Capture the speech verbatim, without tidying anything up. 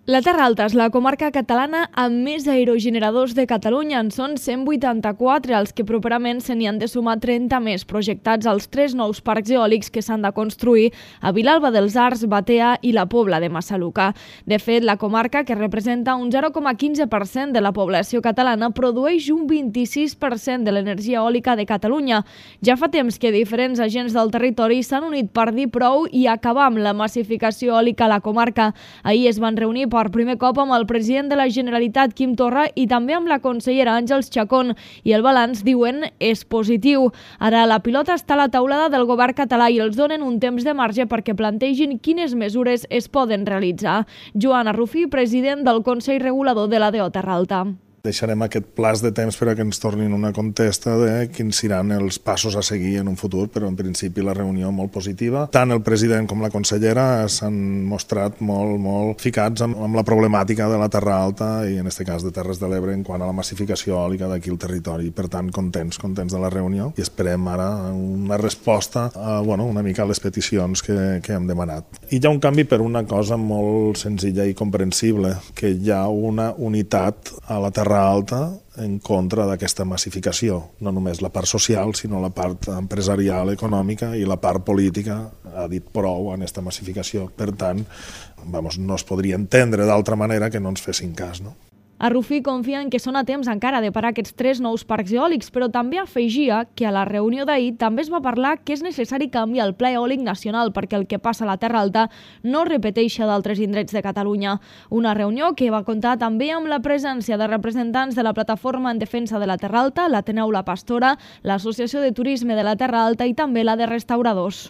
La Terra Alta és la comarca catalana amb més aerogeneradors de Catalunya. En són cent vuitanta-quatre, els que properament se n'hi han de sumar trenta més, projectats als tres nous parcs eòlics que s'han de construir a Vilalba dels Arcs, Batea i la Pobla de Massaluca. De fet, la comarca, que representa un zero coma quinze per cent de la població catalana, produeix un vint-i-sis per cent de l'energia eòlica de Catalunya. Ja fa temps que diferents agents del territori s'han unit per dir prou i acabar amb la massificació eòlica a la comarca. Ahir es van reunir per primer cop amb el president de la Generalitat, Quim Torra, i també amb la consellera Àngels Chacón, i el balanç, diuen, és positiu. Ara la pilota està a la taulada del govern català i els donen un temps de marge perquè plantegin quines mesures es poden realitzar. Joan Arrufí, president del Consell Regulador de la D O Terra Alta. Deixarem aquest plaç de temps per a que ens tornin una contesta de quins seran els passos a seguir en un futur, però en principi la reunió molt positiva. Tant el president com la consellera s'han mostrat molt, molt ficats amb, amb la problemàtica de la Terra Alta i en aquest cas de Terres de l'Ebre en quant a la massificació eòlica d'aquí al territori. Per tant, contents, contents de la reunió i esperem ara una resposta a, bueno, una mica a les peticions que, que hem demanat. I hi ha un canvi per una cosa molt senzilla i comprensible, que hi ha una unitat a la Terra Alta en contra d'aquesta massificació. No només la part social, sinó la part empresarial, econòmica i la part política ha dit prou en aquesta massificació. Per tant, vamos, no es podria entendre d'altra manera que no ens fessin cas, no? Arrufí confia en que són a temps encara de parar aquests tres nous parcs eòlics, però també afegia que a la reunió d'ahir també es va parlar que és necessari canviar el Pla Eòlic Nacional perquè el que passa a la Terra Alta no repeteixi d'altres indrets de Catalunya. Una reunió que va comptar també amb la presència de representants de la Plataforma en Defensa de la Terra Alta, l'Ateneu La Pastora, l'Associació de Turisme de la Terra Alta i també la de Restauradors.